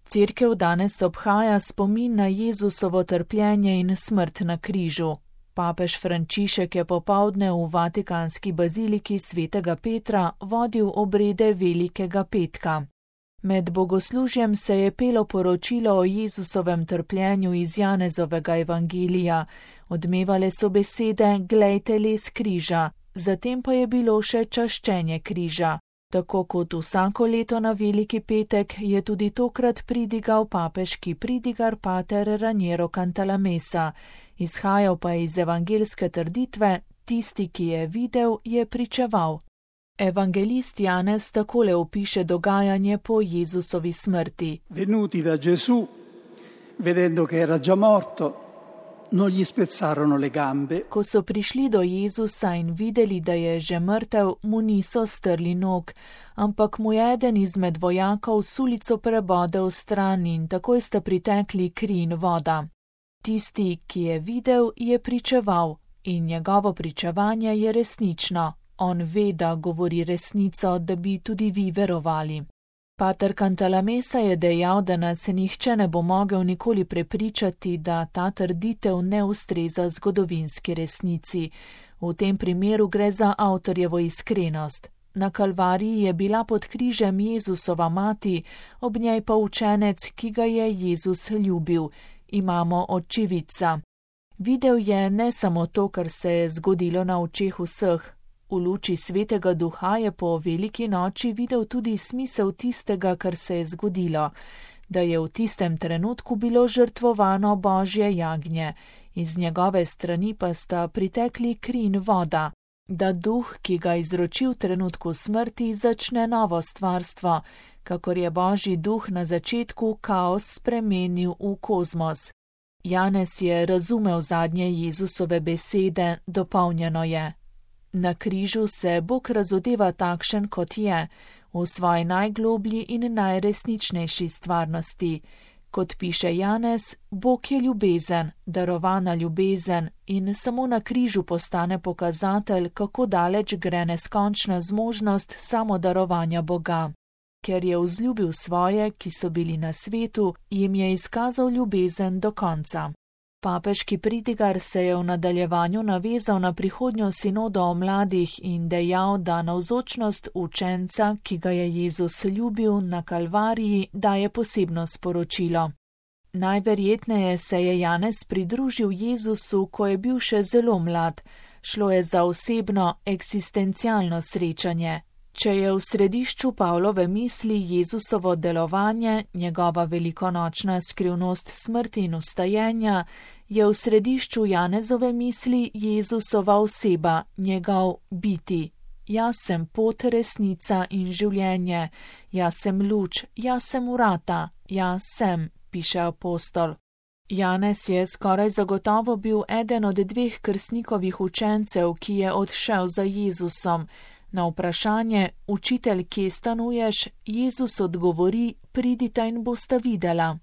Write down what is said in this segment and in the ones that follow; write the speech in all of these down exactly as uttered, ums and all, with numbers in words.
Cerkev danes obhaja spomin na Jezusovo trpljenje in smrt na križu. Papež Frančišek je popoldne v vatikanski baziliki svetega Petra vodil obrede Velikega petka. Med bogoslužjem se je pelo poročilo o Jezusovem trpljenju iz Janezovega evangelija, odmevale so besede "Glejte les križa", zatem pa je bilo še čaščenje križa. Tako kot vsako leto na Veliki petek je tudi tokrat pridigal papeški pridigar pater Raniero Cantalamessa. Izhajal pa je iz evangelske trditve: tisti, ki je videl, je pričeval. Evangelist Janez takole opiše dogajanje po Jezusovi smrti. Venuti da Gesù, vedendo che era già morto, non gli spezzarono le gambe. Ko so prišli do Jezusa in videli, da je že mrtev, mu niso strli nog, ampak mu je eden izmed vojakov sulico prebodel stran in takoj sta pritekli kri in voda. Tisti, ki je videl, je pričeval in njegovo pričevanje je resnično. On ve, da govori resnico, da bi tudi vi verovali. Pater Cantalamessa je dejal, da nas nihče ne bo mogel nikoli prepričati, da ta trditev ne ustreza zgodovinski resnici. V tem primeru gre za avtorjevo iskrenost. Na Kalvariji je bila pod križem Jezusova mati, ob njej pa učenec, ki ga je Jezus ljubil. Imamo očividca. Videl je ne samo to, kar se je zgodilo na očeh vseh. V luči svetega duha je po veliki noči videl tudi smisel tistega, kar se je zgodilo, da je v tistem trenutku bilo žrtvovano Božje jagnje, iz njegove strani pa sta pritekli kri in voda, da duh, ki ga izroči v trenutku smrti, začne novo stvarstvo, kakor je Božji duh na začetku kaos spremenil v kozmos. Janez je razumel zadnje Jezusove besede, dopolnjeno je. Na križu se Bog razodeva takšen, kot je, v svoji najgloblji in najresničnejši stvarnosti. Kot piše Janez, Bog je ljubezen, darovana ljubezen in samo na križu postane pokazatelj, kako daleč gre neskončna zmožnost samodarovanja Boga. Ker je vzljubil svoje, ki so bili na svetu, jim je izkazal ljubezen do konca. Papeški pridigar se je v nadaljevanju navezal na prihodnjo sinodo o mladih in dejal, da navzočnost učenca, ki ga je Jezus ljubil na Kalvariji, daje posebno sporočilo. Najverjetneje se je Janez pridružil Jezusu, ko je bil še zelo mlad. Šlo je za osebno, eksistencialno srečanje. Če je v središču Pavlove misli Jezusovo delovanje, njegova velikonočna skrivnost smrti in vstajenja, je v središču Janezove misli Jezusova oseba, njegov biti. Jaz sem pot, resnica in življenje, jaz sem luč, jaz sem vrata, jaz sem, piše apostol. Janez je skoraj zagotovo bil eden od dveh krstnikovih učencev, ki je odšel za Jezusom. Na vprašanje, učitelj, kje stanuješ, Jezus odgovori, pridita in bosta videla.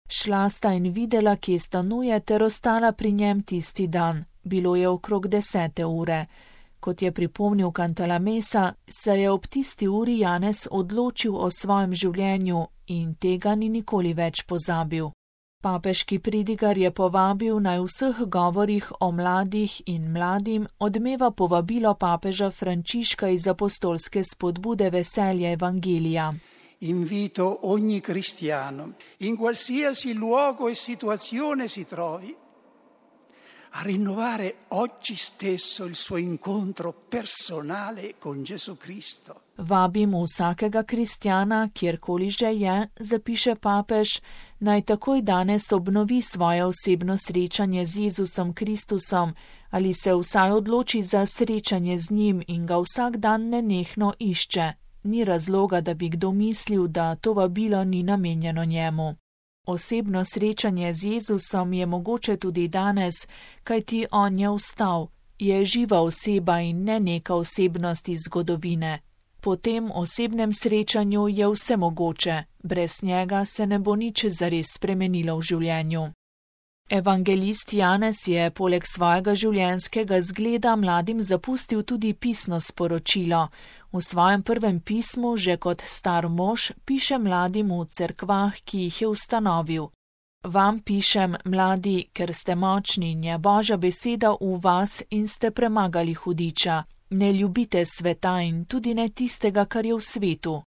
Šla sta in videla, kje stanuje, ter ostala pri njem tisti dan. Bilo je okrog desete ure. Kot je pripomnil Cantalamessa, se je ob tisti uri Janez odločil o svojem življenju in tega ni nikoli več pozabil. Papeški pridigar je povabil, naj v vseh govorih o mladih in mladim odmeva povabilo papeža Frančiška iz apostolske spodbude veselja evangelija. Invito ogni cristiano, in qualsiasi luogo e situazione si trovi, a rinnovare oggi stesso il suo incontro personale con Gesù Cristo. Vabim vsakega kristjana, kjerkoli že je, zapiše papež, naj takoj danes obnovi svoje osebno srečanje z Jezusom Kristusom ali se vsaj odloči za srečanje z njim in ga vsak dan nenehno išče. Ni razloga, da bi kdo mislil, da to vabilo ni namenjeno njemu. Osebno srečanje z Jezusom je mogoče tudi danes, kajti on je vstal, je živa oseba in ne neka osebnost iz zgodovine. Po tem osebnem srečanju je vse mogoče, brez njega se ne bo nič zares spremenilo v življenju. Evangelist Janez je poleg svojega življenjskega zgleda mladim zapustil tudi pisno sporočilo. V svojem prvem pismu že kot star mož piše mladim v cerkvah, ki jih je ustanovil. Vam pišem, mladi, ker ste močni in je Božja beseda v vas in ste premagali hudiča. Ne ljubite sveta in tudi ne tistega, kar je v svetu.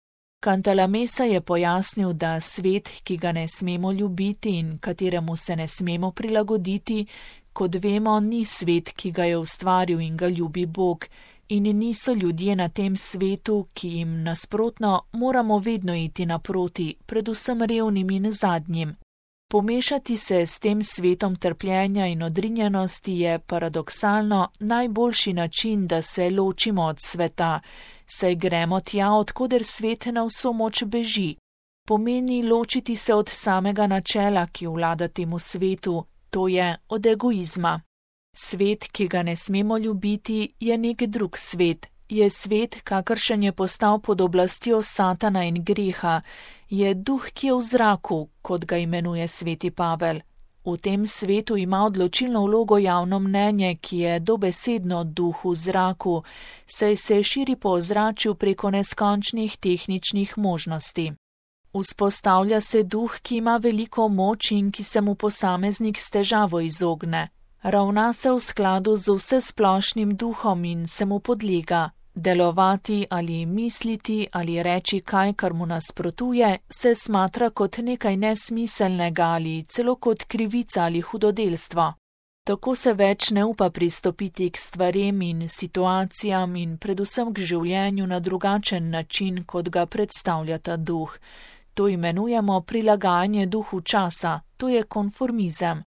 Cantalamessa je pojasnil, da svet, ki ga ne smemo ljubiti in kateremu se ne smemo prilagoditi, kot vemo, ni svet, ki ga je ustvaril in ga ljubi Bog, in niso ljudje na tem svetu, ki jim nasprotno moramo vedno iti naproti, predvsem revnim in zadnjim. Pomešati se s tem svetom trpljenja in odrinjenosti je paradoksalno najboljši način, da se ločimo od sveta, saj gremo tja, odkoder svet na vso moč beži. Pomeni ločiti se od samega načela, ki vlada temu svetu, to je od egoizma. Svet, ki ga ne smemo ljubiti, je nek drug svet, je svet, kakršen je postal pod oblastjo Satana in greha, je duh, ki je v zraku, kot ga imenuje sveti Pavel. V tem svetu ima odločilno vlogo javno mnenje, ki je dobesedno duh v zraku, saj se širi po ozračju preko neskončnih tehničnih možnosti. Vzpostavlja se duh, ki ima veliko moč in ki se mu posameznik s težavo izogne. Ravna se v skladu z vsesplošnim duhom in se mu podlega. Delovati ali misliti ali reči kaj, kar mu nasprotuje, se smatra kot nekaj nesmiselnega ali celo kot krivica ali hudodelstvo. Tako se več ne upa pristopiti k stvarem in situacijam in predvsem k življenju na drugačen način, kot ga predstavlja ta duh. To imenujemo prilagajanje duhu časa, to je konformizem.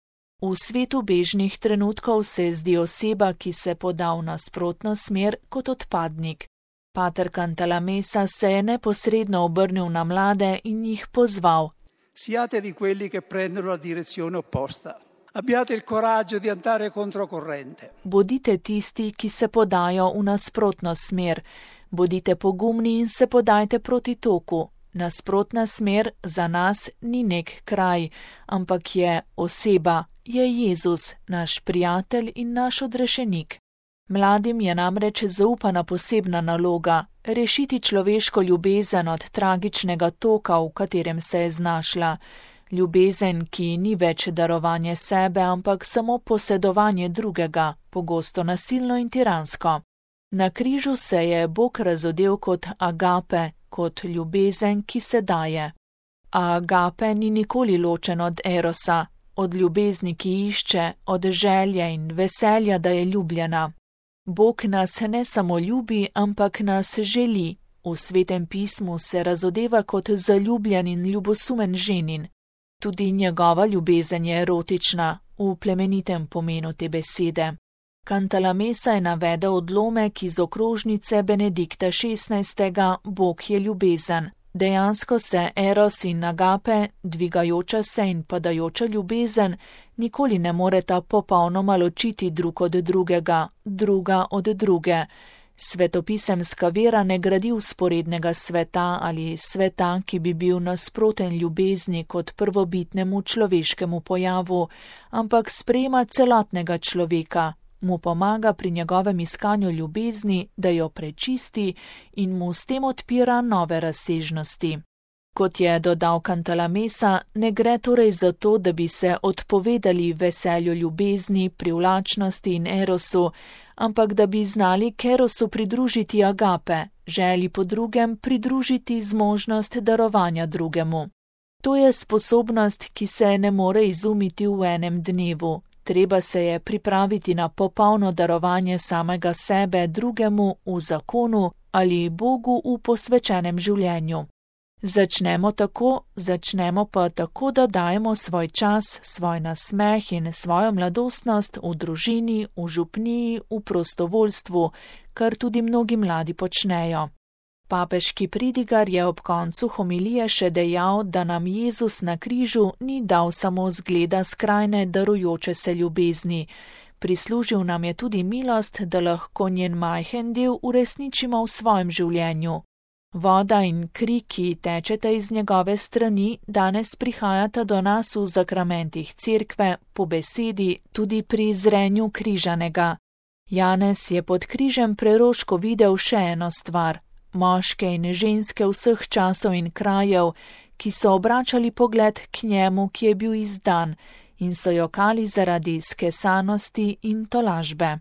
V svetu bežnih trenutkov se zdi oseba, ki se poda v nasprotno smer, kot odpadnik. Pater Cantalamessa se je neposredno obrnil na mlade in jih pozval. Siate di quelli che prendono la direzione opposta. Abbiate il coraggio di andare controcorrente. Bodite tisti, ki se podajo v nasprotno smer. Bodite pogumni in se podajte proti toku. Nasprotna smer za nas ni nek kraj, ampak je oseba. Je Jezus, naš prijatelj in naš odrešenik. Mladim je namreč zaupana posebna naloga, rešiti človeško ljubezen od tragičnega toka, v katerem se je znašla. Ljubezen, ki ni več darovanje sebe, ampak samo posedovanje drugega, pogosto nasilno in tiransko. Na križu se je Bog razodel kot agape, kot ljubezen, ki se daje. A agape ni nikoli ločen od erosa, od ljubezni, ki išče, od želje in veselja, da je ljubljena. Bog nas ne samo ljubi, ampak nas želi. V svetem pismu se razodeva kot zaljubljen in ljubosumen ženin. Tudi njegova ljubezen je erotična, v plemenitem pomenu te besede. Cantalamessa je navedel odlomek iz okrožnice Benedikta šestnajstega. Bog je ljubezen. Dejansko se eros in agape, dvigajoča se in padajoča ljubezen, nikoli ne moreta popolnoma ločiti drug od drugega, druga od druge. Svetopisemska vera ne gradi vzporednega sveta ali sveta, ki bi bil nasproten ljubezni kot prvobitnemu človeškemu pojavu, ampak sprejema celotnega človeka, mu pomaga pri njegovem iskanju ljubezni, da jo prečisti in mu s tem odpira nove razsežnosti. Kot je dodal Cantalamessa, ne gre torej za to, da bi se odpovedali veselju ljubezni, privlačnosti in erosu, ampak da bi znali k erosu pridružiti agape, želji po drugem pridružiti zmožnost darovanja drugemu. To je sposobnost, ki se ne more izumiti v enem dnevu. Treba se je pripraviti na popolno darovanje samega sebe drugemu v zakonu ali Bogu v posvečenem življenju. Začnemo tako, začnemo pa tako, da dajemo svoj čas, svoj nasmeh in svojo mladostnost v družini, v župniji, v prostovoljstvu, kar tudi mnogi mladi počnejo. Papeški pridigar je ob koncu homilije še dejal, da nam Jezus na križu ni dal samo zgleda skrajne darujoče se ljubezni. Prislužil nam je tudi milost, da lahko njen majhen del uresničimo v svojem življenju. Voda in kri, ki tečeta iz njegove strani, danes prihajata do nas v zakramentih cerkve, po besedi, tudi pri zrenju križanega. Janez je pod križem preroško videl še eno stvar. moške in ženske vseh časov in krajev, ki so obračali pogled k njemu, ki je bil izdan, in so jokali zaradi skesanosti in tolažbe.